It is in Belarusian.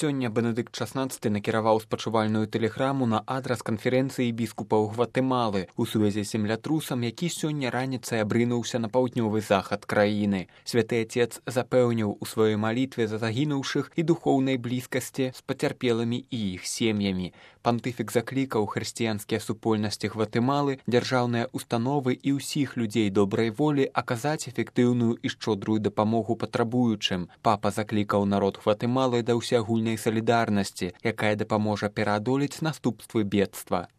Сёння Бенедыкт XVI накіраваў спачувальную тэлеграму на адрас канферэнцыі біскупаў Гватэмалы у сувязі з землятрусам, які сёння раніцай абрынуўся на паўднёвы захад краіны. Святы Отец запэўніў у сваёй малітве за загінуўшых і духоўнай блізкасці з пацярпелымі і іх сем'ямі. Пантыфік заклікаў хрысціянскія супольнасці Гватэмалы, дзяржаўныя установы і ўсіх людзей добрай волі аказаць эфектыўную і шчодрую дапамогу патрабуючым. Папа заклікаў народ Гватэмалы да ўсеагульнай салідарнасці, якая дапаможа пераадолець наступствы бедства.